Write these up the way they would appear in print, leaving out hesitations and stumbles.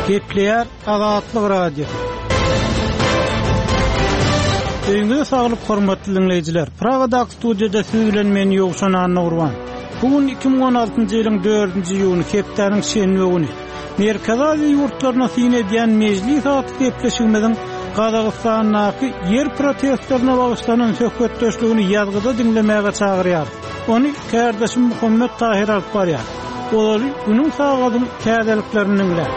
Gepleýär Azatlyk Radiosy. Öýüňize saglyk hormatly diňleýjiler. Pragadaky studiýada siz bilen men Ýowşan Annagurban. Bu gün 2016-njy ýylyň 4-nji iýuny, hepdäniň şenbe güni. Merkezi Aziýa ýurtlaryna syn edýän Mejlis atly gepleşigimiziň Gazagystandaky ýer protestlerine bagyşlanan söhbetdeşligini ýazgyda diňlemäge çagyrýarys. Ony kärdeşim Muhammet Tahyr alyp barýar. Ozaly günüň sagadyň täzeliklerini diňläň.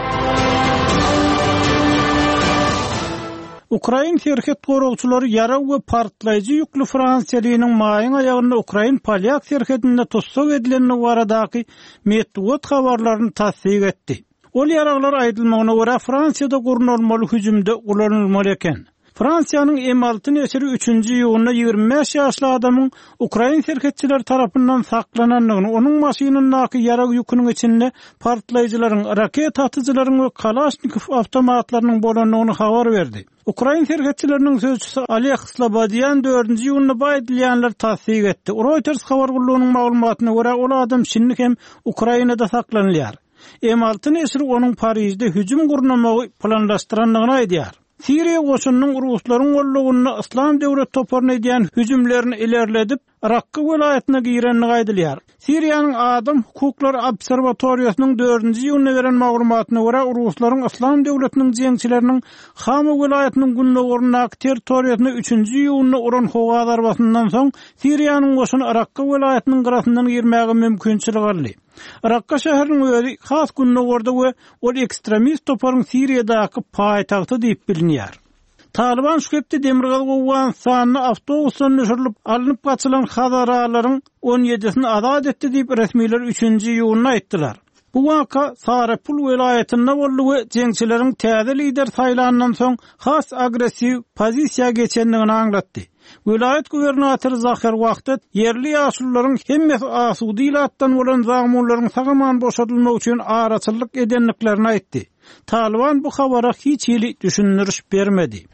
Ukrain serhet goragçylary ýarag we partlaýjy ýükli fransiýalynyň maýyň aýagynda ukrain-polýak serhedinde tussag edilendigi baradaky metbugat habarlaryny tassyk etdi. Ol ýaraglar aýdylmagyna görä Fransiýada gurnalmaly hüjümde ulanylmaly eken. Fransiýanyň M alty neşiri üçünji iýunda 25 ýaşly adamyň ukrain serhetçileri tarapyndan saklanandygyny, onuň maşynyndaky ýarag ýüküniň içinde partlaýjylaryň, raketa atyjylaryň we Kalaşnikow awtomatlarynyň bolandygyny habar berdi. Ukrain serhetçileriniň sözçüsi Oleg Slobodýan dördünji iýunda bu aýdylýanlary tassyk etdi. Reuters habar gullugynyň maglumatyna görä, ol adam şindi hem Ukrainada saklanylýar. M alty neşiri onuň Parižde hüjüm gurnamagy planlaşdyrandygyny aýdýar. Siriýa goşunynyň ruslaryň gollagynda Yslam döwlet toparyna edýän hüjümlerini ilerledip, Rakka welaýatyna girendigi aýdylýar. Siriýanyň Adam hukuklary obserwatoriýasynyň dördünji iýunda beren maglumatyna görä, ruslaryň Yslam döwletiniň jeňçileriniň Hama welaýatynyň gündogaryndaky territoriýasyna üçünji iýunda uran howa zarbasyndan soň, Siriýanyň goşuny Rakka welaýatynyň gyrasyndan girmäge mümkinçilik aldy. Rakka şäheriniň özi has gündogarda we ol ekstremist toparyň Siriýadaky paýtagty diýip bilinýär. Talyban şu hepde demirgazyk Owganystanda awtobusdan düşürilip alnyp gaçylan hazaralaryň on ýedisini azat etdi diýip, resmiler üçünji iýunda aýtdylar. Bu waka Sarepul welaýatynda boldy we jeňçileriň täze lider saýlandan soň has agressiw pozisiýa geçendigini aňlatdy. Welaýat gubernatory Zaher Wahdat ýerli ýaşulularyň hemmesi asuda ilatdan bolan zamunlaryň sag-aman boşadylmagy üçin araçyllyk edendiklerini aýtdy. Talyban bu habara hiç hili düşündiriş bermedi.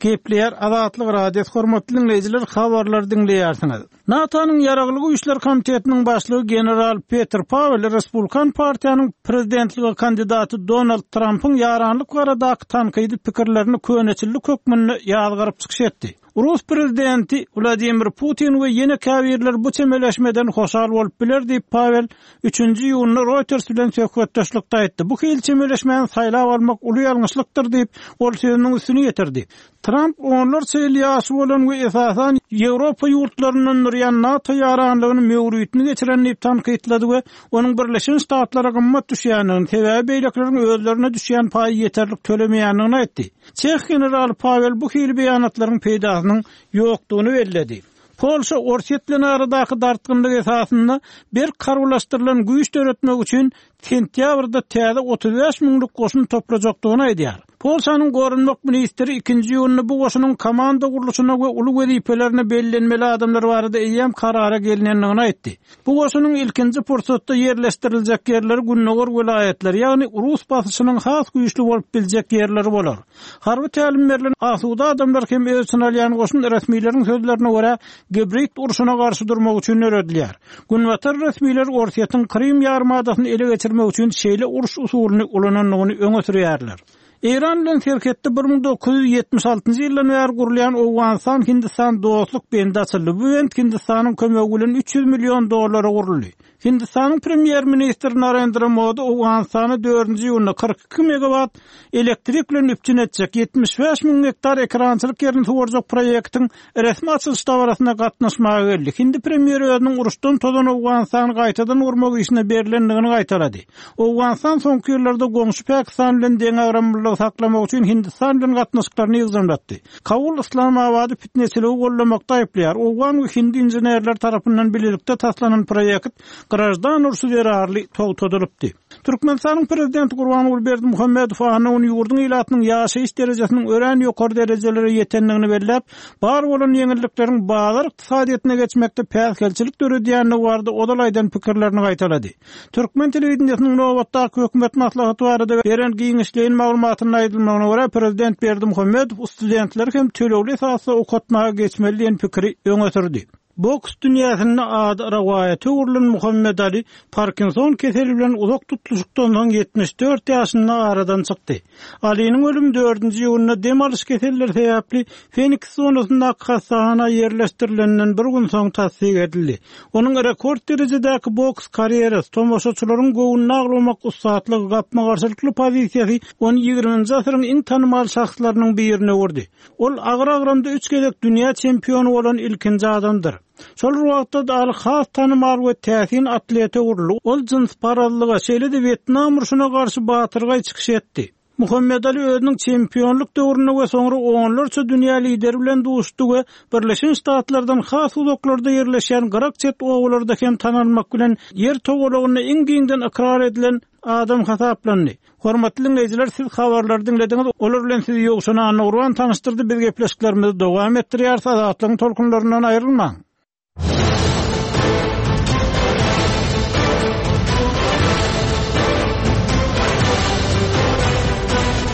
Gepleýär Azatlyk Radiosy hormatly diňleýjiler habarlary diňleýärsiňiz. NATO-nyň Ýaragly Güýçler komitetiniň başlygy general Peter Pawel Respublikan partiýanyň prezidentlige kandidaty Donald Trampyň ýaranlyk baradaky tankydy pikirlerini köneçillik hökmünde ýazgaryp çykyş etdi. Rus prezidenti Wladimir Putin we ýene käbirleri bu çemeleşmeden hoşal bolup biler diýip, Pawel üçünji iýunda Reuters bilen söhbetdeşlikde aýtdy. Bu hili çemeleşmäni saýlap almak uly ýalňyşlykdyr diýip, ol sözüniň üstüni ýetirdi. Tramp onlarça ýyl ýaşy bolan we esasan Ýewropa ýurtlaryndan durýan NATO ýaranlygyny möwritini geçiren diýip tankytlady we onuň Birleşen Ştatlara gymmat düşýändigini, sebäbi beýlekileriň özlerine düşýän paýy ýeterlik tölemeýändigini aýtdy. Çeh generaly Pawel bu hili beýanatlaryň peýdasynyň ýokdugyny belledi. Polşa Orsýet bilen aradaky dartgynlyk esasynda berk harbylaşdyrylan güýç döretmek üçin sentýabrda täze 35 müňlük goşun toplajakdygyny aýdýar. Polşanyň goranmak ministri ikinji iýunda bu goşunyň komanda gurluşyna we uly wezipelerine bellenmeli adamlar barada eýýäm karara gelnendigini aýtdy. Bu goşunyň ilkinji pursatda ýerleşdiriljek ýerleri gündogar welaýatlar, ýagny rus basyşynyň has güýçli bolup biljek ýerleri bolar. Harby tälim berlen asuda adamlar hem öz içine alýan goşun resmileriň sözlerine görä, gibrid urşuna garşy durmak üçin döredilýär. Günbatar resmileri Orsýetiň Krym ýarymadasyny ele geçirmek üçin şeýle uruş usulyny ulanandygyny öňe sürýärler. Eýran bilen serhetde 1976-njy ýyldan bäri gurulýan Owganystan-Hindistan dostluk bendi açyldy. Bu bent Hindistanyň kömegi bilen 300 million dollara guruldy. Hindistanyň premýer-ministri Narendra Modi Owganystany dördünji iýunda 42 megawat elektrik bilen üpjün etjek 75 müň gektar ekerançylyk ýerini suwarjak proýektiň resmi açylyş dabarasyna gatnaşmaga geldi. Hindi premýeri özüniň uruşdan tozan Owganystany gaýtadan gurmak işine berlendigini gaýtalady. Owganystan soňky ýyllarda goňşy Pakistan bilen deňagramlylygy saklamak üçin Hindistan bilen gatnaşyklaryny ýygjamlatdy. Kabul Yslamabady pitneçiligi goldamakda aýyplaýar. Owgan we hindi inženerleri tarapyndan bilelikde taslanan proýekt graždan urşy zerarly togtadylypdy. Türkmenistanyň Prezidenti Gurbanguly Berdimuhamedow anna güni ýurduň ilatynyň ýaşaýyş derejesiniň örän ýokary derejelere ýetendigini belläp, bar bolan ýeňillikleriň bazar ykdysadyýetine geçmekde päsgelçilik döredýändigi barada ozal aýdan pikirlerini gaýtalady. Türkmen telewideniýesiniň nobatdaky hökümet maslahaty barada beren giňişleýin maglumatynda aýdylmagyna görä, prezident Berdimuhamedow studentleri hem tölegli esasda okatmaga geçmeli diýen pikiri öňe sürdi. Boks dünýäsinde ady rowaýata öwrülen Muhammet Ali Parkinson keseli bilen uzak tutluşykdan soň 74 ýaşynda aradan çykdy. Aliniň ölümi dördünji iýunda dem alyş keselleri sebäpli Feniks zonasyndaky hassahana ýerleşdirilenden bir gün soň tassyk edildi. Onuň rekord derejedäki boks karýerasy, tomaşaçylaryň göwnüni awlamak ussatlygy, gapma-garşylykly pozisiýasy ony ýigriminji asyryň iň tanymal şahslarynyň birine öwürdi. Ol agyr agramda üç gezek dünýä çempiony bolan ilkinji adamdyr. Şol bir wagtda-da Aly has tanymal we täsin atlete öwrüldi. Ol jynsparazlyga, şeýle-de Wýetnam urşuna garşy batyrgaý çykyş etdi. Muhammet Aly özüniň çempionlyk döwründe we soňra onlarça dünýä lideri bilen duşdy we Birleşen Ştatlardan has uzaklarda ýerleşýän gyrak-çet obalarda hem tanalmak bilen Ýer togalagynda iň giňden ykrar edilen adam hasaplandy. Hormatly diňleýjiler, siz habarlary diňlediňiz. Olar bilen sizi Ýowşan Annagurban tanyşdyrdy. Biz gepleşiklerimizi dowam etdirýäris. Azatlygyň tolkunlaryndan aýrylmaň.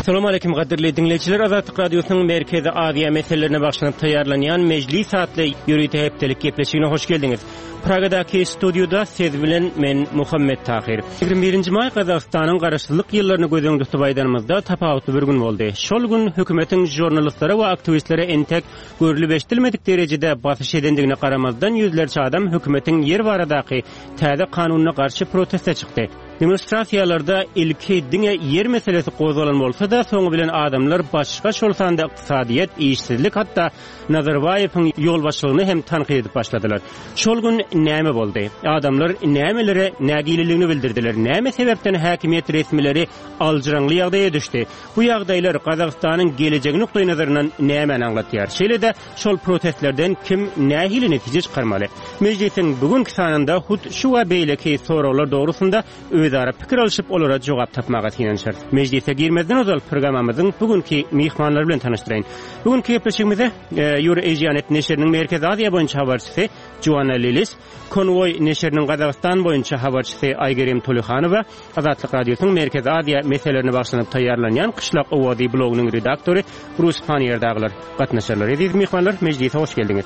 Salam aleýkum gadyrly diňleýjiler Azatlyk Radiosynyň Merkezi Aziýa meselelerine bagyşlanyp taýýarlanýan Mejlis atly ýörite hepdelik gepleşigine hoş geldiňiz. Pragadaky studiýada siz bilen men Muhammet Tahyr. 21-nji maý Gazagystanyň garaşsyzlyk ýyllaryny göz öňünde tutup aýdanymyzda tapawutly bir gün boldy. Şol gün hökümetiň žurnalistlere we aktiwistlere entek görlüp-eşidilmedik derejede basyş edendigine garamazdan ýüzlerçe adam hökümetiň ýer baradaky täze kanunyna garşy proteste çykdy. Demonstrasiýalarda ilki diňe ýer meselesi gozgalan bolsa-da, soňy bilen adamlar başga, şol sanda ykdysadyýet, işsizlik, hatda Nazarbaýewiň ýolbaşçylygyny hem tankyt edip başladylar. Şol gün näme boldy? Adamlar nämelere nägileligini bildirdiler? Näme sebäpden häkimiýet resmileri aljyraňly ýagdaýa düşdi? Bu ýagdaýlar Gazagystanyň gelejegi nukdaýnazaryndan nämäni aňlatýar? Şeýle-de, şol protestlerden kim nähili netije çykarmaly? Mejlisiň bu günki sanynda hut şu we beýleki soraglar dogrusynda özara pikir alşyp, olara jogap tapmaga synanyşarys. Mejlise girmezden ozal programmamyzyň bu günki myhmanlary bilen tanyşdyraýyn. Bu günki gepleşigimize Eurasianet neşiriniň Merkezi Aziýa boýunça habarçysy Joanna Lilis, Konwoý neşiriniň Gazagystan boýunça habarçysy Aýgerim Tolyhanowa, Azatlyk Radiosynyň Merkezi Aziýa meselelerine bagyşlanyp taýýarlanýan Kyşlak owazy blogynyň redaktory Brus Panniýer dagylar gatnaşarlar. Eziz myhmanlar, mejlise hoş geldiňiz.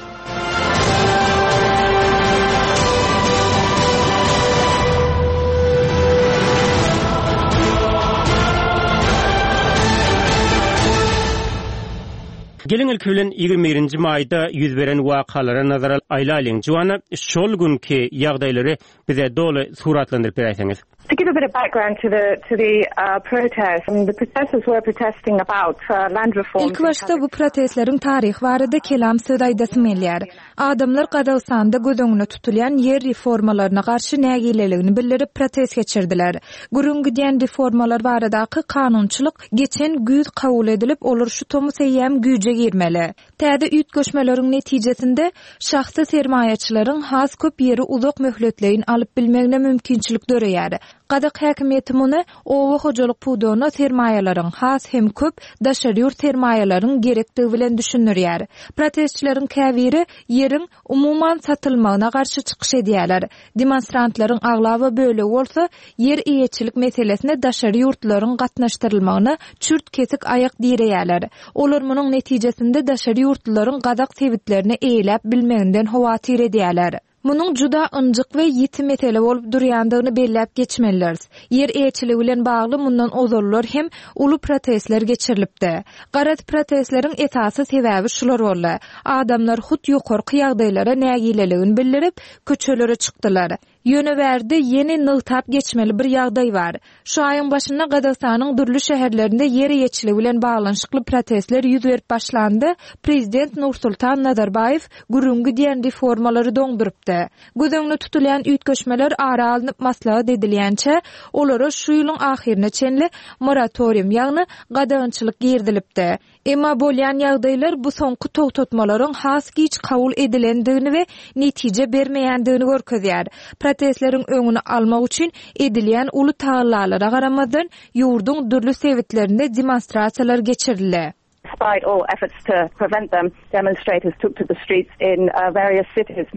Geliň ilki bilen 21-nji maýda ýüz beren wakalara nazar aýlalyň. Joanna, şol günki ýagdaýlary bize doly suratlandyryp beräýseňiz. To give a bit of background to the to the uh, protest, I mean, the protesters were protesting about uh, land reforms. Ilkibaşda bu protestleriň taryhy barada kelam söz aýdasym gelýär. Adamlar Gazagystanda göz öňünde tutulýan ýer reformalaryna garşy nägileligini bildirip protest geçirdiler. Gürrüň gidýän reformalar baradaky kanunçylyk geçen güýz kabul edilip, olar şu tomus eýýäm güýje girmeli. Täze üýtgeşmeleriň netijesinde, şahsy sermaýaçylaryň has köp ýeri uzak möhletleýin alyp bilmegine mümkinçilik döreýär. Gazak häkimiýeti muny oba hojalyk pudagyna sermaýalaryň, has hem köp daşary ýurt sermaýalaryň gerekdigi bilen düşündirýär. Protestçileriň käbiri ýeriň, umuman, satylmagyna garşy çykyş edýärler. Demonstrantlaryň aglaba bölegi bolsa ýer eýeçilik meselesine daşary ýurtlularyň gatnaşdyrylmagyna çürt-kesik aýak direýärler. Olar munuň netijesinde daşary ýurtlularyň gazak sebitlerini eýeläp bilmeginden howatyr edýärler. Munuň juda ynjyk we ýiti mesele bolup durýandygyny belläp geçmelidiris. Ýer eýeçiligi bilen bagly mundan ozallar hem uly protestler geçirilipdi. Garaz, protestleriň esasy sebäbi şular boldy. Adamlar hut ýokarky ýagdaýlara nägileligini bildirip, köçelere çykdylar. Ýöne bärde ýene nygtap geçmeli bir ýagdaý bar. Şu aýyň başynda Gazagystanyň dürli şäherlerinde ýer eýeçiligi bilen baglanyşykly protestler ýüz berip başlanda, prezident Nursultan Nazarbaýew gürrüňi gidýän reformalary doňdurypdy. Göz öňünde tutulýan üýtgeşmeler ara alnyp maslahat edilýänçä, olara şu ýylyň ahyryna çenli moratorium, ýagny gadagançylyk girizilipdi. Emma bolýan ýagdaýlar bu soňky togtatmalaryň has giç kabul edilendigini we netije bermeýändigini görkezýär. Protestleriň öňüni almak üçin edilýän uly tagallalara garamazdan, ýurduň dürli sebitlerinde demonstrasiýalar geçirildi. Despite all efforts to prevent them, demonstrators took to the streets in various cities.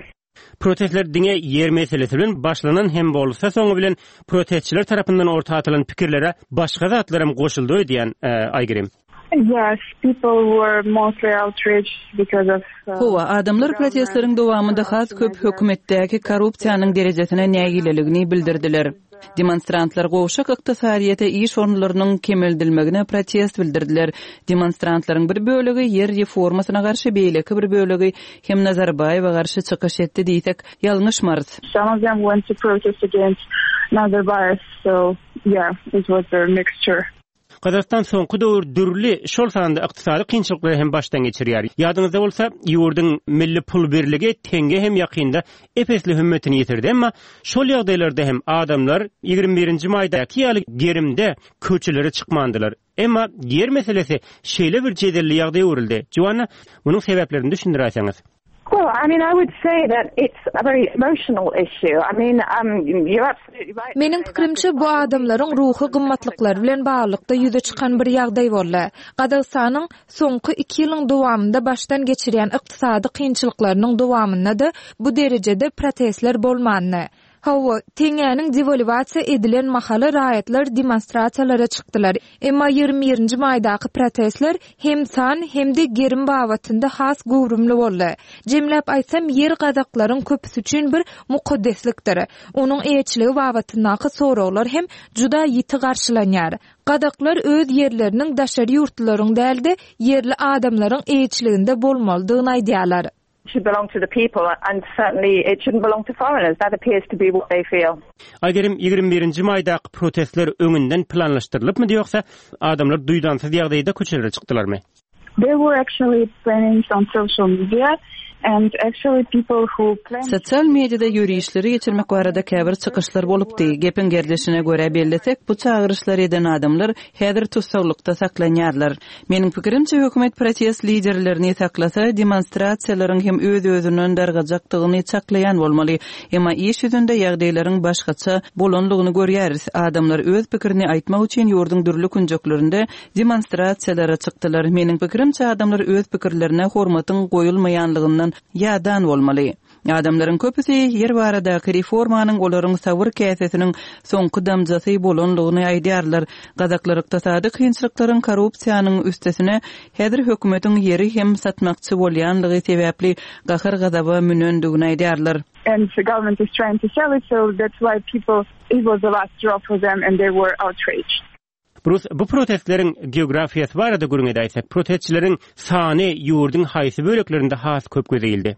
Protestler diňe ýer meselesi bilen başlanan hem bolsa, soňy bilen protestçiler tarapyndan orta atylan pikirlere başga zatlaram goşuldy öýdýän, Aýgerim. Yes, people were mostly outraged because of Hawa, adamlar protestleriň dowamynda has köp hökümetdäki korrupsiýanyň derejesine nägileligini bildirdiler. Demonstrantlar gowşak ykdysadyýete iş orunlarynyň kemeldilmegine protest bildirdiler. Demonstrantlaryň bir bölegi ýer reformasyna garşy, beýleki bir bölegi hem Nazarbaýewe garşy çykyş etdi diýsek, ýalňyşmarys. Some of them went to protest against Nazarbayev, so yeah, it was a mixture. Gazagystan soňky döwür dürli, şol sanda ykdysady kynçylyklary hem başdan geçirýär. Ýadyňyzda bolsa, ýurduň milli pul birligi teňňe hem ýakynda ep-esli hümmetini ýitirdi. Emma şol ýagdaýlarda hem adamlar 21 nji maýdaky ýaly gerimde köçelere çykmandylar. Emma ýer meselesi şeýle bir jedelli ýagdaýa öwrüldi. Joanna, munuň sebäplerini düşündiräýseňiz. Well, I mean, I would say that it's a very emotional issue. I mean, um, you're absolutely right. Meniň pikirimçe, bu adamlaryň ruhy gymmatlyklary bilen baglylykda ýüze çykan bir ýagdaý boldy. Gazagystanyň soňky iki ýylyň dowamynda başdan geçirýän ykdysady kynçylyklarynyň dowamynda-da bu derejede protestler bolmandy. Hawa, teňňäniň dewalwasiýa edilen mahaly raýatlar demonstrasiýalara çykdylar. Emma 21 nji maýdaky protestler hem san, hem-de gerim babatynda has göwrümli boldy. Jemläp aýtsam, ýer gazaklaryň köpüsi üçin bir mukaddeslikdir. Onuň eýeçiligi babatyndaky soraglar hem juda ýiti garşylanýar. Gazaklar öz ýerleriniň daşary ýurtlularyň däl-de, ýerli adamlaryň eýeçiliginde bolmalydygyny aýdýarlar. should belong to the people and certainly it shouldn't belong to foreigners. That appears to be what they feel. Aýgerim, 21-nji maýdaky protestler öňünden planlaşdyrylypmydy ýogsa adamlar duýdansyz ýagdaýda köçelere çykdylarmy? There were actually plannings on social media and actually people who planned Sosial mediada ýörişleri geçirmek barada käbir çykyşlar bolupdy. Gepiň gerdişine görä bellesek, bu çagyryşlary eden adamlar häzir tussaglykda saklanýarlar. Meniň pikirimçe, hökümet protest liderlerini saklasa, demonstrasiýalaryň hem öz-özünden dargajakdygyny çaklaýan bolmaly. Emma iş ýüzünde ýagdaýlaryň başgaça bolanlygyny görýäris. Adamlar öz pikirini aýtmak üçin ýurduň dürli künjeklerinde demonstrasiýalara çykdylar. Meniň pikirimçe, adamlar öz pikirlerine hormatyň goýulmaýanlygyndan ýadan bolmaly. Adamlaryň köpüsi ýer baradaky reformanyň olaryň sabyr käsesiniň soňky damjasy bolanlygyny aýdýarlar. Gazaklar ykdysady kynçylyklaryň, korrupsiýanyň üstesine, häzir hökümetiň ýeri hem satmakçy bolýanlygy sebäpli gahar-gazaba münendigini aýdýarlar. And the government is trying to sell it, so that's why people, it was the last straw for them and they were outraged. Brus, bu protestleriň geografiýasy barada gürrüň edäýsek, protestçileriň sany ýurduň haýsy böleklerinde has köp göze ildi?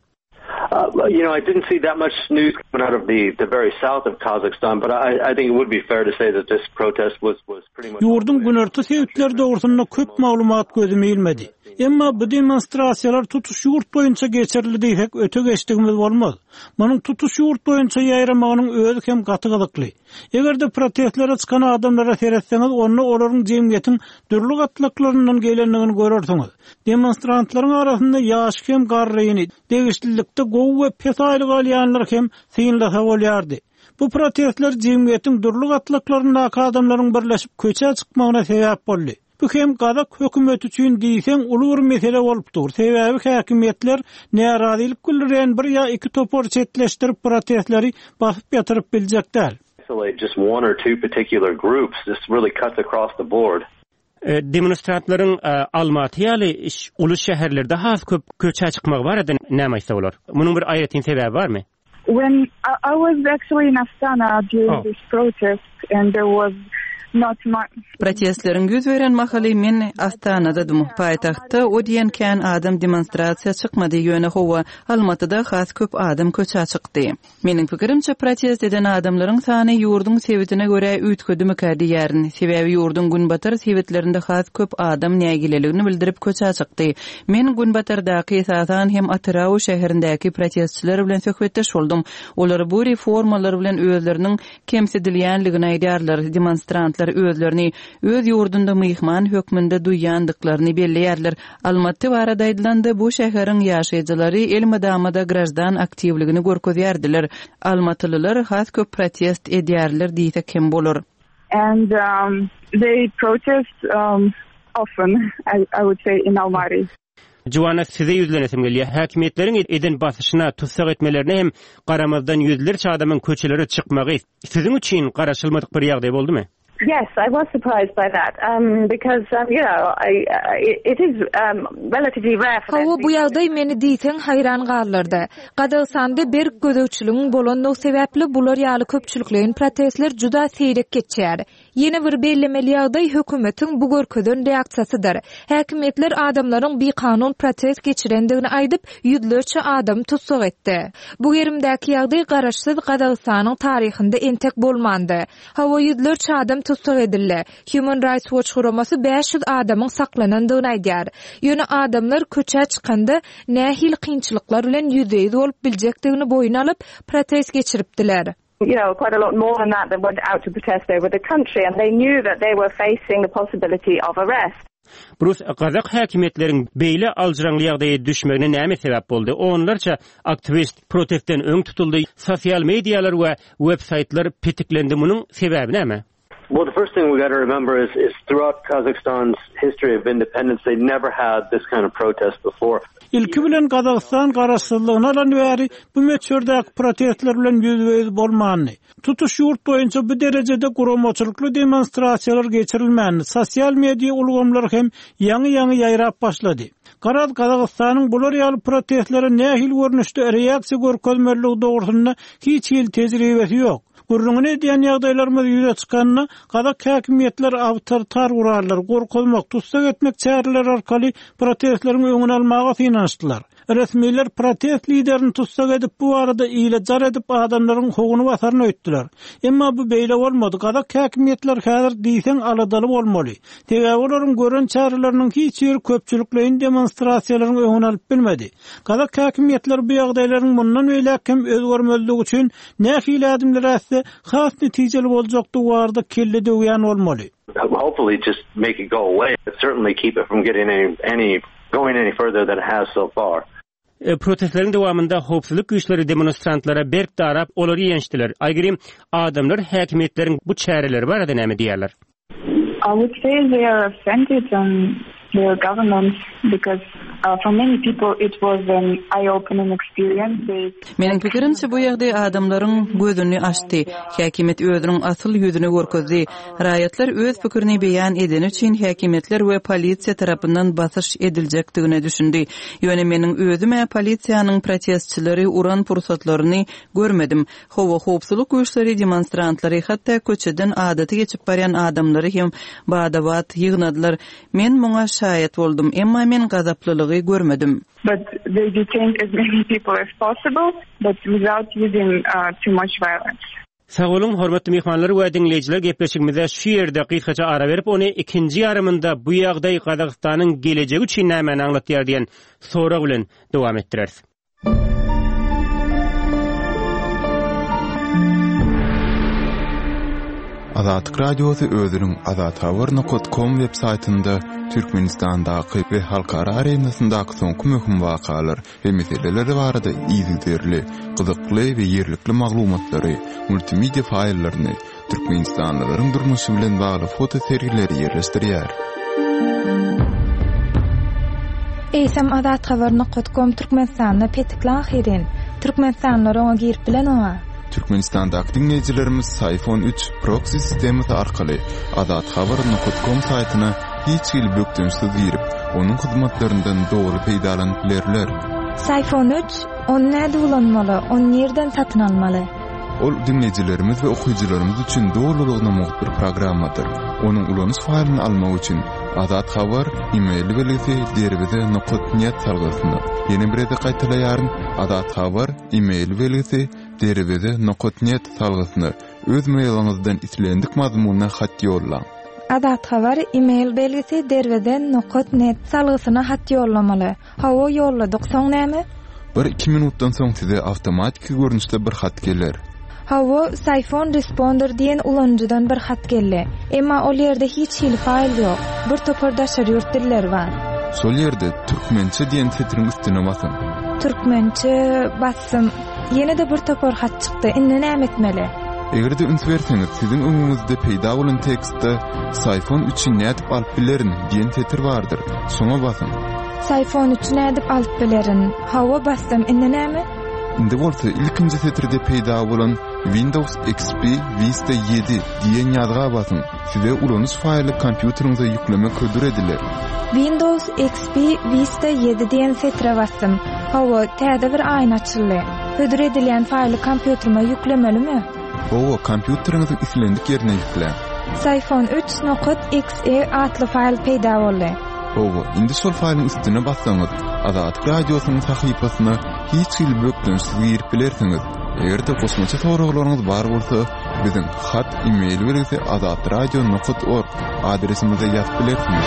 You know, I didn't see that much news coming out of the the very south of Kazakhstan, but I I think it would be fair to say that this protest was was pretty much Ýurduň günorta sebitleri dogrusynda köp maglumat gözüme ilmedi. Emma bu demonstrasiýalar tutuş ýurt boýunça geçirildi diýsek öte geçdigimiz bolmaz. Munuň tutuş ýurt boýunça ýaýramagynyň özi hem gaty gyzykly. Eger-de protestlere çykan adamlara seretseňiz, onda olaryň jemgyýetiň dürli gatlaklaryndan gelendigini görersiňiz. Demonstrantlaryň arasynda ýaşy hem garryny, degişlilikde gowy we pes aýlyk alýanlary hem synlasa bolýardy. Bu protestler jemgyýetiň dürli gatlaklaryndaky adamlaryň birleşip köçä çykmagyna sebäp boldy. Bu hem gazak hökümeti üçin diýseň uly bir mesele bolup dur, sebäbi häkimiýetler närazylyk bildirýän bir ýa iki topary çetleşdirip protestleri basyp ýatyryp biljek däl. Demonstrantlaryň Almaty ýaly uly şäherlerde has köp köçä çykmagy barada näme aýtsa bolar? Munuň bir aýratyn sebäbi barmy? When I was actually in Astana during this protest and there was not much. Protestleriň ýüz beren mahaly men Astanadadym. Paýtagtda o diýen kän adam demonstrasiýa çykmady, ýöne hawa, Almatyda has köp adam köçä çykdy. Meniň pikirimçe, protest eden adamlaryň sany ýurduň sebitine görä üýtgedimikä diýýärin. Sebäbi ýurduň günbatar sebitlerinde has köp adam nägileligini bildirip köçä çykdy. Men günbatardaky, esasan hem Atyrau şäherindäki protestçiler bilen söhbetdeş boldum. Olar bu reformalar bilen özleriniň kemsidilýänligini aýdýarlar, demonstrantlar özlerini öz ýurdunda myhman hökmünde duýýandyklaryny belleýärler. Almaty barada aýdylanda, bu şäheriň ýaşaýjylary elmydama-da graždan aktiwligini görkezýärdiler. Almatylylar has köp protest edýärler diýsek hem bolar. And they protest often, I would say, in Almaty. Juwana, size ýüzlenesim gelýär. Häkimiýetleriň eden basyşyna, tussag etmelerine hem garamazdan ýüzlerçe adamyň köçelere çykmagy siziň üçin garaşylmadyk bir ýagdaý boldumy? Yes, I was surprised by that, um, because, um, you know, I, it is, um, relatively rare for Hawa, bu ýagdaý meni diýseň haýran galdyrdy. Gazagystanda berk gözegçiligiň bolandygy sebäpli bular ýaly köpçülikleýin protestler juda seýrek geçýär. Ýene bir bellemeli ýagdaý hökümetiň bu görkezen reaksiýasydyr. Häkimiýetler adamlaryň bikanun protest geçirendigini aýdyp, ýüzlerçe adamy tussag etdi. Bu gerimdäki ýagdaý garaşsyz Gazagystanyň taryhynda entek bolmandy. Hawa, ýüzlerçe adam tussag edildi. Human Rights Watch guramasy 500 adamyň saklanandygyny aýdýar. Ýöne adamlar köçä çykanda nähili kynçylyklar bilen ýüzbe-ýüz bolup biljekdigini boýun alyp, protest geçiripdiler. You know, quite a lot more than that that went out to protest over the country and they knew that they were facing the possibility of arrest. Brus, gazak häkimiýetleriň beýle aljyraňly ýagdaýa düşmegine näme sebäp boldy? Onlarça aktiwist protestden öň tutuldy, sosial medialar we web saýtlar petiklendi, munuň sebäbi näme? Well, the first thing we got to remember is, is throughout Kazakhstan's history of independence, they never had this kind of protest before. Ilki bilen Gazagystan garaşsyzlygyny alan bäri bu möçberdäki protestler bilen ýüzbe-ýüz bolmandy. Tutuş ýurt boýunça bu derejede guramaçylykly demonstrasiýalar geçirilmändi, sosial media ulgamlary hem ýaňy-ýaňy ýaýrap başlady. Garaz, Gazagystanyň bular ýaly protestlere nähili görnüşde reaksiýa görkezmelidigi dogrusynda hiç hili tejribesi ýok. Gürrüňini edýän ýagdaýlarymyz ýüze çykanda, gazak häkimiýetleri awtoritar gurallar, gorkuzmak, tussag etmek çäreleri arkaly protestleriň öňüni almaga synanyşdylar. Resmiler protest liderini tussag edip, bu barada ile jar edip, adamlaryň howuny basaryn öýtdüler. Emma bu beýle bolmady, gazak häkimiýetleri häzir diýseň aladaly bolmaly. Sebäbi olaryň gören çäreleriniň hiç biri köpçülikleýin demonstrasiýalaryň öňüni alyp bilmedi. Gazak häkimiýetleri bu ýagdaýlaryň mundan beýläk hem özgermezligi üçin nähili ädimler ätse, has netijeli boljakdygy barada kelle döwýän bolmaly. Hopefully just make it go away, but certainly keep it from getting any any going any further than it has so far. Protestleriň dowamynda howpsuzlyk güýçleri demonstrantlara berk darap, olary ýençdiler. Aýgerim, adamlar häkimiýetleriň bu çäreleri barada näme diýýärler? I would say they are offended on their government because for many people it was an eye-opening experience. They Meniň pikirimçe, bu ýagdaý adamlaryň gözüni açdy. Häkimiýet özüniň asyl ýüzüni görkezdi. Raýatlar öz pikirini beýan edeni üçin häkimiýetler we polisiýa tarapyndan basyş ediljekdigine düşündi. Ýöne meniň özüm-ä polisiýanyň protestçileri uran pursatlaryny görmedim. Hawa, howpsuzlyk güýçleri demonstrantlary, hatda köçeden adaty geçip barýan adamlary hem bada-bat ýygnadylar. Men muňa şaýat boldum, emma men gazaplylygy görmedim. But they detained as many people as possible, but without using too much violence. Sag boluň, hormatly myhmanlar we diňleýjiler gepleşigimize şu ýerde gysgaça ara berip, ony ikinji ýarymynda bu ýagdaý Gazagystanyň gelejegi üçin nämäni aňlatýar diýen sorag bilen dowam etdireris. Azatlyk Radiosy özüniň azathabar nokat kom web saýtynda Türkmenistandaky we halkara arenasyndaky soňky möhüm wakalar we meseleler barada yzygiderli, gyzykly we ýerlikli maglumatlary, multimedia faýllaryny, Türkmenistanlylaryň durmuşy bilen bagly foto sergileri ýerleşdirýär. Eýsem azathabar nokat kom Türkmenistanda petikli ahyryn. Türkmenistanlylar oňa girip bilenoga. Türkmenistandaky diňleýjilerimiz Syfon üç proksi sistemasy arkaly azathabar nokat kom saýtyna hiç hili bökdençsiz girip, onuň hyzmatlaryndan doly peýdalanyp bilerler. Syfon üç, ony nädip ulanmaly, ony nirden satyn almaly? Ol diňleýjilerimiz we okyjylarymyz üçin dolulygyna mugt bir programmadyr. Onuň ulanyş faýlyny almak üçin Azat Habar e-mail belgisi derweze nokat net salgysyna, ýene bir gezek gaýtalaýaryn, Azat Habar e-mail belgisi derweze nokat net salgysyna öz mailiňizden islendik mazmunda hat ýollaň. Azat Habar e-mail belgisi derweze nokat net salgysyna hat ýollamaly. Hawa ýolladyk, soň näme? Bir-iki minutdan soň size awtomatiki görnüşde bir hat geler. Hawa, Syphon Responder diýen ulanyjydan bir hat geldi. Emma ol ýerde hiç hili faýl ýok. Bir topar daşary ýurt dilleri bar. Şol ýerde Türkmençe diýen setiriň üstüne basyň. Türkmençe basdym. Ýene-de bir topar hat çykdy. Indi näme etmeli? Eger-de üns berseňiz, siziň öňüňizde peýda bolan tekstde Syphon üçi nädip alyp bilerin diýen setir bardyr. Şoňa basyň. Syphon üçi nädip alyp bilerin? Hawa, basdym. Indi näme? Indi bolsa ilkinji setirde peýda bolan Windows XP Vista ýedi diýen ýazga basyň. Size ulanyş faýly kompýuteriňize ýüklemek hödür ediler. Windows XP Vista ýedi diýen setire basdym. Hawa, täze bir aýna açyldy. Hödür edilýän faýly kompýuterime ýüklemelimi? Hawa, kompýuteriňiziň islendik ýerine ýükläň. Syphon üç nokat XE atly faýl peýda boldy. Hawa, indi şol faýlyň üstüne bassaňyz, Azatlyk Radiosynyň sahypasyna hiç hili bökdençsiz girip bilersiňiz. Eger-de goşmaça soraglaryňyz bar bolsa, biziň hat e-mail belgisi azatradio nokat org adresimize ýazyp bilersiňiz.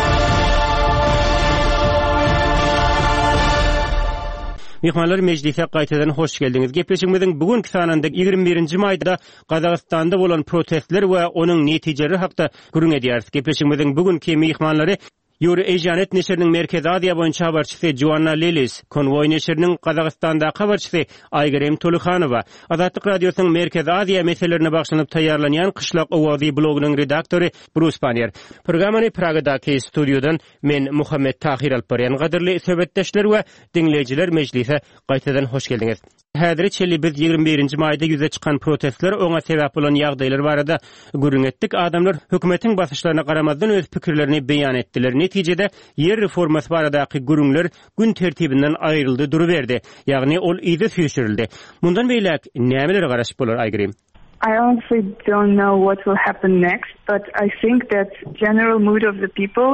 Myhmanlar mejlise gaýtadan hoş geldiňiz. Gepleşigimiziň bu günki sanynda 21-nji maýda Gazagystanda bolan protestler we onuň netijeleri hakda gürrüň edýäris. Gepleşigimiziň bu günki myhmanlary Eurasianet neşiriniň Merkezi Aziýa boýunça habarçysy Joanna Lillis, Konwoý neşiriniň Gazagystandaky habarçysy Aýgerim Tolyhanowa, Azatlyk Radiosynyň Merkezi Aziýa meselelerine bagyşlanyp taýýarlanýan Kyşlak owazy blogynyň redaktory Brus Pannier. Programmany Pragadaky studiýadan men Muhammet Tahyr alyp barýan. Gadyrly söhbetdeşler we diňleýjiler mejlise gaýtadan hoş geldiňiz. Häzire çenli biz 21-nji maýda ýüze çykan protestler, oňa sebäp bolan ýagdaýlar barada gürrüň etdik. Adamlar hökümetiň basyşlaryna garamazdan öz pikirlerini beýan etdiler. Netijede, ýer reformasy baradaky gürrüňler gün tertibinden aýryldy duruberdi. Ýagny ol yza süýşürildi. Mundan beýläk nämelere garaşyp bolar, Aýgerim? I honestly don't know what will happen next, but I think that general mood of the people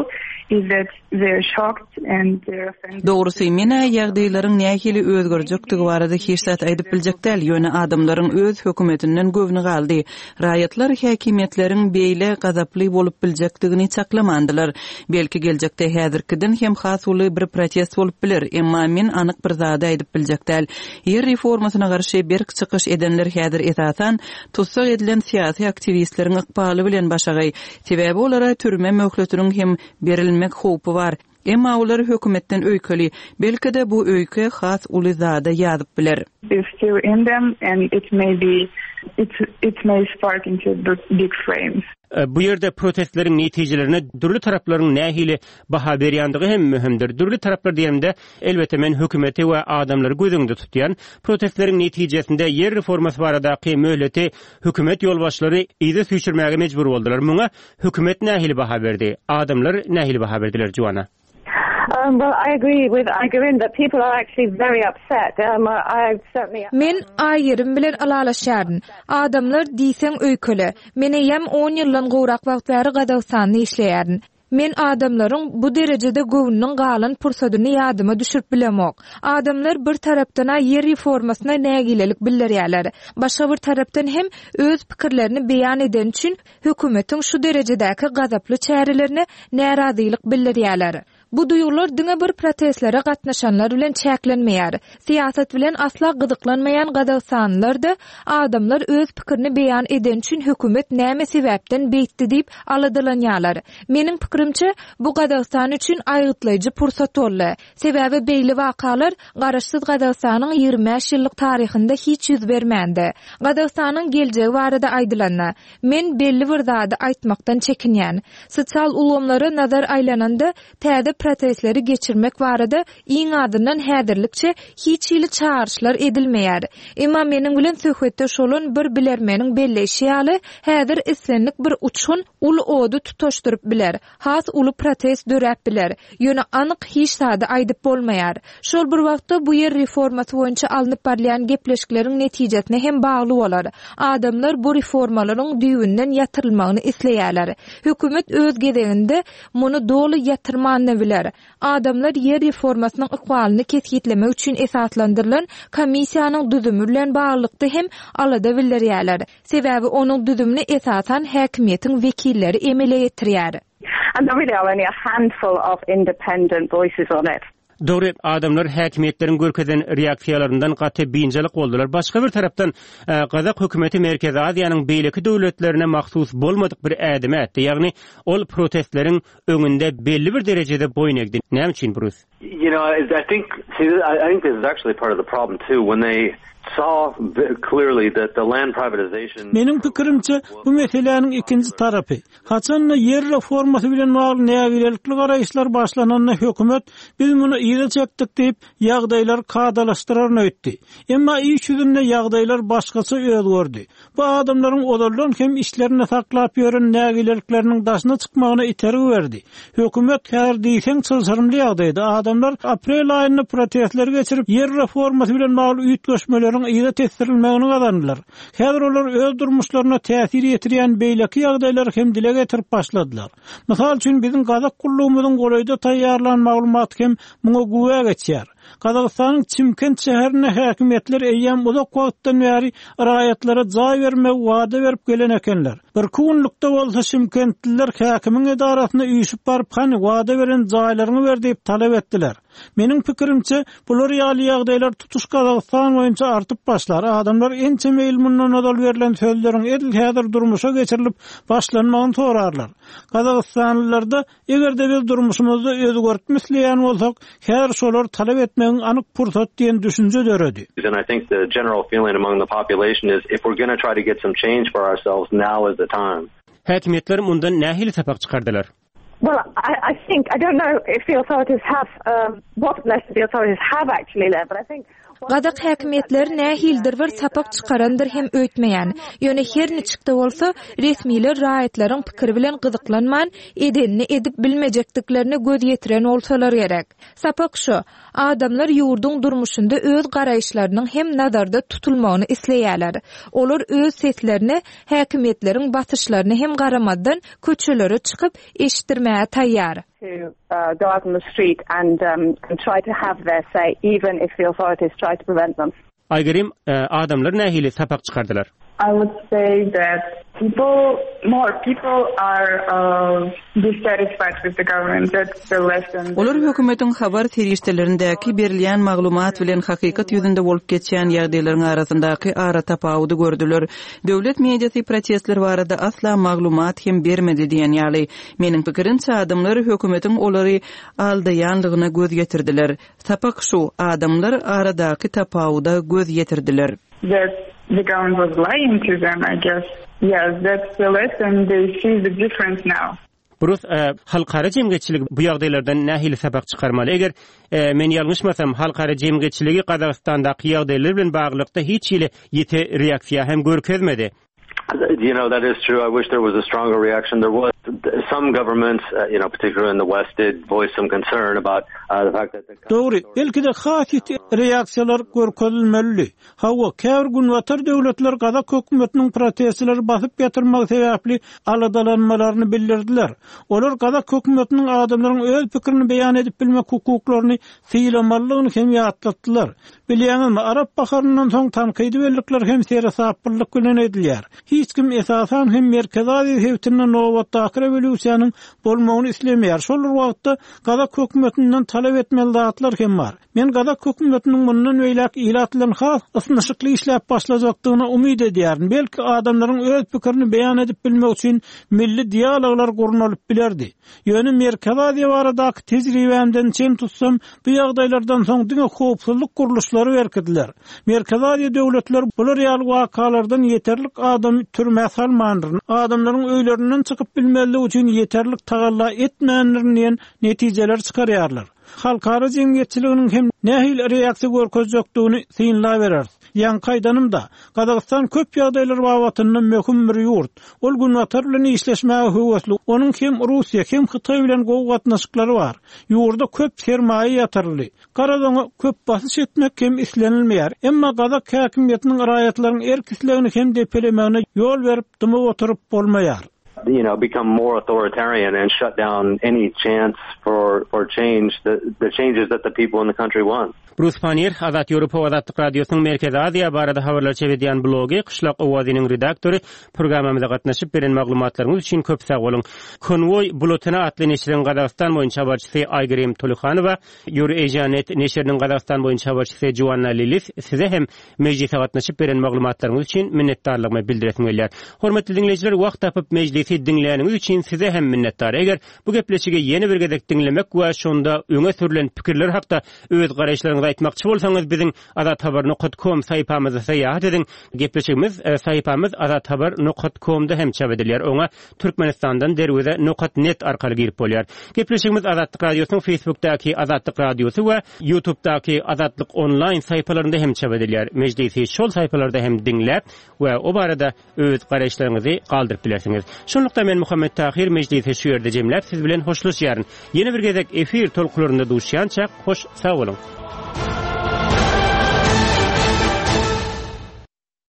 is that they're shocked and they're offended. Dogrusy, men-ä ýagdaýlaryň nähili özgerjekdigi barada hiç zat aýdyp biljek däl, ýöne adamlaryň öz hökümetinden göwni galdy. Raýatlar häkimiýetleriň beýle gazaply bolup biljekdigini çaklamandylar. Belki geljekde häzirkiden hem has uly bir protest bolup biler, emma men anyk bir zady aýdyp biljek däl. Ýer reformasyna garşy berk çykyş edenler häzir esasan tussag edilen syýasy aktiwistleriň ykbaly bilen başagaý. Sebäbi olara türme möhletiniň hem berilmek howpy bar. Emma olar hökümetden öýkeli. Belki-de bu öýke has uly zada ýazyp biler. Is still in them and it may be it it may spark into big flames. Bu ýerde protestleriň netijelerine dürli taraplaryň nähili baha berýändigi hem möhümdir. Dürli taraplar diýenimde, elbetde, men hökümeti we adamlary göz öňünde tutýan. Protestleriň netijesinde ýer reformasy baradaky möhleti hökümet ýolbaşçylary yza süýşürmäge mejbur boldular. Muňa hökümet nähili baha berdi? Adamlar nähili baha berdiler, Joanna? Men Aýgerim bilen ylalaşýaryn. Adamlar diýseň öýkeli. Men eýýäm on ýyldan gowrak wagt bäri Gazagystanda işleýärin. Men adamlaryň bu derejede göwnüniň galan pursadyny ýadyma düşürip bilemok. Adamlar bir tarapdan-a ýer reformasyna nägilelik bildirýärler. Başga bir tarapdan hem öz pikirlerini beýan edeni üçin hökümetiň şu derejedäki gazaply çärelerine närazylyk bildirýärler. Bu duýgular diňe bir protestlere gatnaşanlar bilen çäklenmeýär. Syýasat bilen asla gyzyklanmaýan gazagystanlylar-da adamlar öz pikirini beýan edeni üçin hökümet näme sebäpden beýtdi diýip aladalanýarlar. Meniň pikirimçe, bu Gazagystan üçin aýgytlaýjy pursat boldy. Sebäbi beýle wakalar Garaşsyz Gazagystanyň 25 ýyllyk taryhynda hiç ýüz bermändi. Gazagystanyň geljegi barada aýdylanda, Men belli bir zady aýtmakdan çekinýän. Sosial ulgamlara nazar aýlananda, täze protestleri geçirmek barada iň azyndan häzirlikçe hiç hili çagyryşlar edilmeýär. Emma meniň bilen söhbetdeş bolan bir bilermeniň belleýşi ýaly, häzir islendik bir uçgun uly ody tutaşdyryp biler. Has uly protest döräp biler. Ýöne anyk hiç zady aýdyp bolmaýar. Şol bir wagtda bu ýer reformasy boýunça alnyp barylýan gepleşikleriň netijesine hem bagly bolar. Adamlar bu reformalaryň düýbünden ýatyrylmagyny isleýärler. Hökümet öz gezeginde muny doly ýatyrman-da biler. Adamlar ýer reformasynyň ykbalyny kesgitlemek üçin esaslandyrylan komissiýanyň düzümi bilen baglylykda hem alada bildirýärler. Sebäbi onuň düzümini esasan häkimiýetiň wekilleri emele getirýär. And there really are only a handful of independent voices on it. Dogry, adamlar häkimiýetleriň görkezen reaksiýalaryndan gaty biynjalyk boldular. Başga bir tarapdan, gazak hökümeti Merkezi Aziýanyň beýleki döwletlerine mahsus bolmadyk bir ädim ätdi, ýagny ol protestleriň öňünde belli bir derejede boýun egdi. Näme üçin, Brus? You know, I think, see, I think this is actually part of the problem too, when they. saw clearly that the land privatization Meniň pikirimçe, bu meseläniň ikinji tarapy, haçan-da ýer reformasy bilen bagly nägilelikli garaýyşlar başlananda hökümet biz muny yza çekdik diýip, ýagdaýlary kadalaşdyraryn öýtdi. Emma iş ýüzünde ýagdaýlar başgaça özgerdi. Bu adamlaryň ozaldan hem içlerinde saklap ýören nägilelikleriniň daşyna çykmagyna itergi berdi. Hökümet häzir diýseň çylşyrymly ýagdaýda. Adamlar aprel aýynda protestleri geçirip, ýer reformasy bilen bagly üýtgeşmeleriň yza tesdirilmegini gazandylar. Häzir olar öz durmuşlaryna täsir ýetirýän beýleki ýagdaýlary hem dile getirip başladylar. Mysal üçin, biziň gazak gullugymyzyň golaýda taýýarlan maglumaty hem muňa güwä geçýär. Gazagystanyň Çimkent şäherinde häkimiýetler eýýäm uzak wagtdan bäri raýatlara jaý bermegi wada berip gelen ekenler. Birki günlükde bolsa şimkentliler häkimiň edarasyna üýşüp baryp hany wada beren jaýlaryňy ber diýip talap etdiler. Meniň pikirimçe, bular ýaly ýagdaýlar tutuş Gazagystan boýunça artyp başlar. Adamlar ençeme ýyl mundan ozal berlen sözleriň edil häzir durmuşa geçirilip başlanmagyny sorarlar. Gazagystanlylarda Eger-de biz durmuşymyzda özgertme isleýän bolsak, häzir şolary talap etmegiň anyk pursat diýen düşünje döredi. And I think the general feeling among the population is if we're gonna try to get some change for ourselves, now is the time. Häkimiýetler mundan nähili sapak çykardylar? Well, I, I think, I don't know if the authorities have, um, what lesson the authorities have actually learned, but I think Gazak häkimiýetleri nähilidir bir sapak çykarandyr hem öýtmeýän. Ýöne her niçik-de bolsa, resmiler raýatlaryň pikiri bilen gyzyklanman, edenini edip bilmejekdiklerine göz ýetiren bolsalar gerek. Sapak şu, adamlar ýurduň durmuşynda öz garaýyşlarynyň hem nazarda tutulmagyny isleýärler. Olar öz seslerini häkimiýetleriň basyşlaryna hem garamazdan köçelere çykyp, eşitdirmäge taýýar. to go out on the street and and try to have their say even if the authorities try to prevent them. Aýgerim, adamlar nähili sapak çykardylar? I would say that people, more people are dissatisfied with the government, that's the lesson. Olar hökümetiň habar serişdelerindäki berilýän maglumat bilen hakykat ýüzünde bolup geçýän ýagdaýlaryň arasyndaky aratapawudy gördüler. Döwlet mediasy protestler barada asla maglumat hem bermedi diýen ýaly. Meniň pikirimçe, adamlar hökümetiň olary aldaýanlygyna göz ýetirdiler. Sapak şu, adamlar aradaky tapawuda göz ýetirdiler. That the government was lying to them, I guess. Yes, that's the lesson, they see the difference now. Brus, halkara jemgyýetçiligi bu ýagdaýlardan nähili sapak çykarmaly? Eger men ýalňyşmasam, halkara jemgyýetçiligi Gazagystandaky ýagdaýlar bilen baglylykda hiç hili ýiti reaksiýa hem görkezmedi. You know, that is true. I wish there was a stronger reaction. There was some governments, uh, you know, particularly in the West, did voice some concern about uh, the fact that the Dogry, belki-de has ýiti reaksiýalar görkezilmelidi. Hawa, käbir günbatar döwletler gazak hökümetiniň protestçileri basyp ýatyrmagy sebäpli aladalanmalaryny bildirdiler. Olar gazak hökümetiniň adamlaryň öz pikirini beýan edip bilmek hukuklaryny sylamalydygyny hem ýatlatdylar. Bilýäňizmi, Arap baharyndan soň tankydy bellikler hem seresaplylyk bilen edilýär. Hiç kim, esasan hem Merkezi Aziýa sebitinde nobatdaky rewolýusiýanyň bolmagyny islemeýär. Şol bir wagtda, gazak hökümetinden talap etmeli zatlar hem bar. Men gazak hökümetiniň mundan beýläk ilat bilen has ysnyşykly işläp başlajakdygyna umyt edýärin. Belki, adamlaryň öz pikirini beýan edip bilmegi üçin milli dialoglar gurnalyp bilerdi. Ýöne Merkezi Aziýa baradaky tejribämden çen tutsam, bu ýagdaýlardan soň diňe howpsuzlyk gurluşlary berkidiler. Merkezi Aziýa döwletleri bular ýaly wakalardan ýeterlik adamy türmä salmandyryn, adamlaryň öýlerinden çykyp bilmezligi üçin ýeterlik tagalla etmändirin diýen netijeleri çykarýarlar. Halkara jemgyýetçiliginiň hem nähili reaksiýa görkezjekdigini synlabereris. Ýaňky aýdanymda, Gazagystan köp ýagdaýlar babatynda möhüm bir ýurt. Ol Günbatar bilen işleşmäge höwesli, onuň hem Russiýa, hem Hytaý bilen gowy gatnaşyklary bar. Ýurda köp sermaýa ýatyryldy. Garaz oňa köp basyş etmek hem islenilmeýär. Emma gazak häkimiýetiniň raýatlaryň erk-islegini hem depelemegine ýol berip dymyp oturyp bolmaýar. you know become more authoritarian and shut down any chance for for change the the changes that the people in the country want. Brus Pannier, Azat Ýewropa we Azatlyk Radiosynyň Merkezi Aziýa barada habarlar çap edýän blogy Kyşlak owazynyň redaktory, programmamyza gatnaşyp beren maglumatlaryňyz üçin köp sag boluň. Konwoý Bulletini atly neşiriň Gazagystan boýunça habarçysy Aýgerim Tolyhanowa, Eurasia-net neşiriniň Gazagystan boýunça habarçysy Joanna Lilis size hem Mejlise gatnaşyp beren maglumatlaryňyz üçin minnetdarlygymy bildiresim gelýär. Hormatly diňleýjiler, wagt tapyp mejlisi. Gepleşigi diňläniňiz üçin size hem minnetdar. Eger bu gepleşigi ýene bir gezek diňlemek we şonda öňe sürlen pikirler hakda öz garaýyşlaryňyzy aýtmakçy bolsaňyz biziň azathabar nokat kom saýpamyzda syýahat ediň. Gepleşigimiz saýpamyz azathabar nokat komda hem çap edilýär. Oňa Türkmenistandan derweze nokat net arkaly girip bolýar. Gepleşigimiz Azatlyk Radiosynyň Facebookdaky Azatlyk Radiosy we Ýutubdaky Azatlyk Onlaýn saýpalarynda hem çap edilýär. Mejlisi şol saýpalarda hem diňläp we o barada öz garaýyşlaryňyzy galdyryp bilersiňiz. Şunlukda men Muhammet Tahyr mejlisi şu ýerde jemläp siz bilen hoşlaşýaryn. Ýene bir gezek efir tolkularynda duşýançak hoş sag boluň.